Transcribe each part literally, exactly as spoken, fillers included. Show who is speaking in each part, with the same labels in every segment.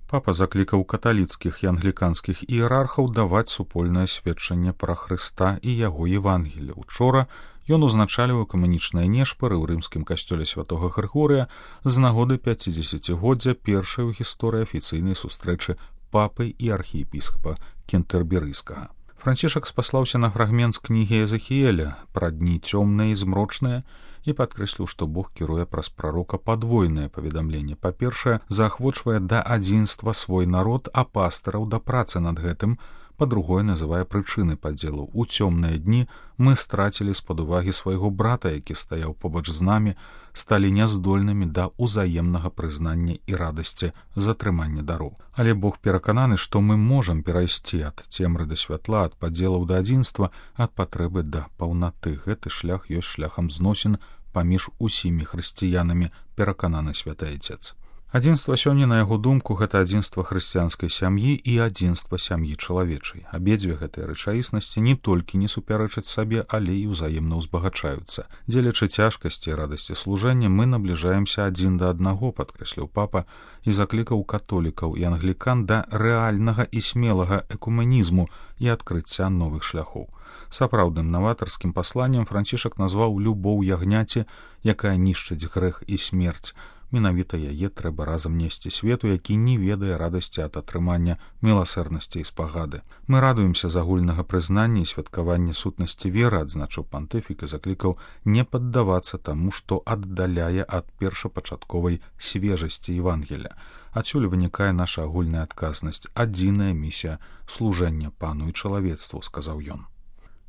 Speaker 1: Папа заклікаў каталіцкіх і англіканскіх іерархаў даваць супольнае сведчанне пра Хрыста і яго Евангелія. Учора ён узначаліў экумэнічныя нешпары ў рымскім касцёле святога Грыгорыя з нагоды пяцідзесяцігоддзя першай у гісторыі афіцыйнай сустрэчы папы і архіепіскапа Кентэрберыйскага. Францішак спаслаўся на фрагмент з кнігі Езахіэля пра дні цёмныя і змрочныя і падкрэсліў, што Бог кіруе праз прарока падвойнае паведамленне. Па-першае, заахвочвае да адзінства свой народ, а пастыраў да працы над гэтым. Па-другое, называе прычыны падзелу. У цёмныя дні мы страцілі з-пад увагі свайго брата, які стаяў побач з намі, сталі няздольнымі да ўзаемнага прызнання і радасці з атрымання дароў. Але Бог перакананы, што мы можам перайсці ад цемры да святла, ад падзелаў да адзінства, ад патрэбы да паўнаты. Гэты шлях ёсць шляхам зносін паміж усімі хрысціянамі, перакананы святы Айцец. Адзінства сёння, на яго думку, гэта адзінства хрысціянскай сям'і і адзінства сям'і чалавечай. Абедзве гэтыя рэчаіснасці не толькі не супярэчаць сабе, але і ўзаемна ўзбагачаюцца. Дзелячы цяжкасці і радасці служэння, мы набліжаемся адзін да аднаго, падкрэсліў папа, і заклікаў католікаў і англікан да рэальнага і смелага экумэнізму і адкрыцця новых шляхоў. Сапраўдным наватарскім пасланнем Францішак назваў любоў ягняці, якая нішчыць грэх і смерць. Менавіта яе трэба разам несці свету, які не ведае радасці ад атрымання міласэрнасці і спагады. Мы радуемся з агульнага прызнання і святкавання сутнасці веры, адзначыў пантыфік і заклікаў не паддавацца таму, што аддаляе ад першапачатковай свежасці Евангелля. Адсюль вынікае наша агульная адказнасць, адзіная місія служэння пану і чалавецтву, сказаў ён.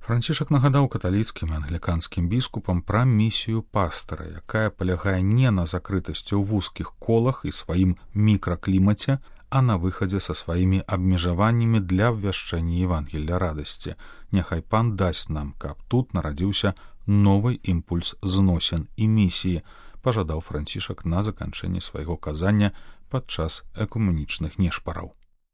Speaker 1: Францішак нагадаў каталіцкім і англіканскім біскупам пра місію пастара, якая палягае не на закрытасці ў вузкіх колах і сваім мікраклімаце, а на выхадзе са сваімі абмежаваннямі для абвяшчэння Евангелля радасці. Няхай пан дасць нам, каб тут нарадзіўся новы імпульс зносін і місіі, пажадаў Францішак на заканчэнне свайго казання падчас экумэнічных нешпараў.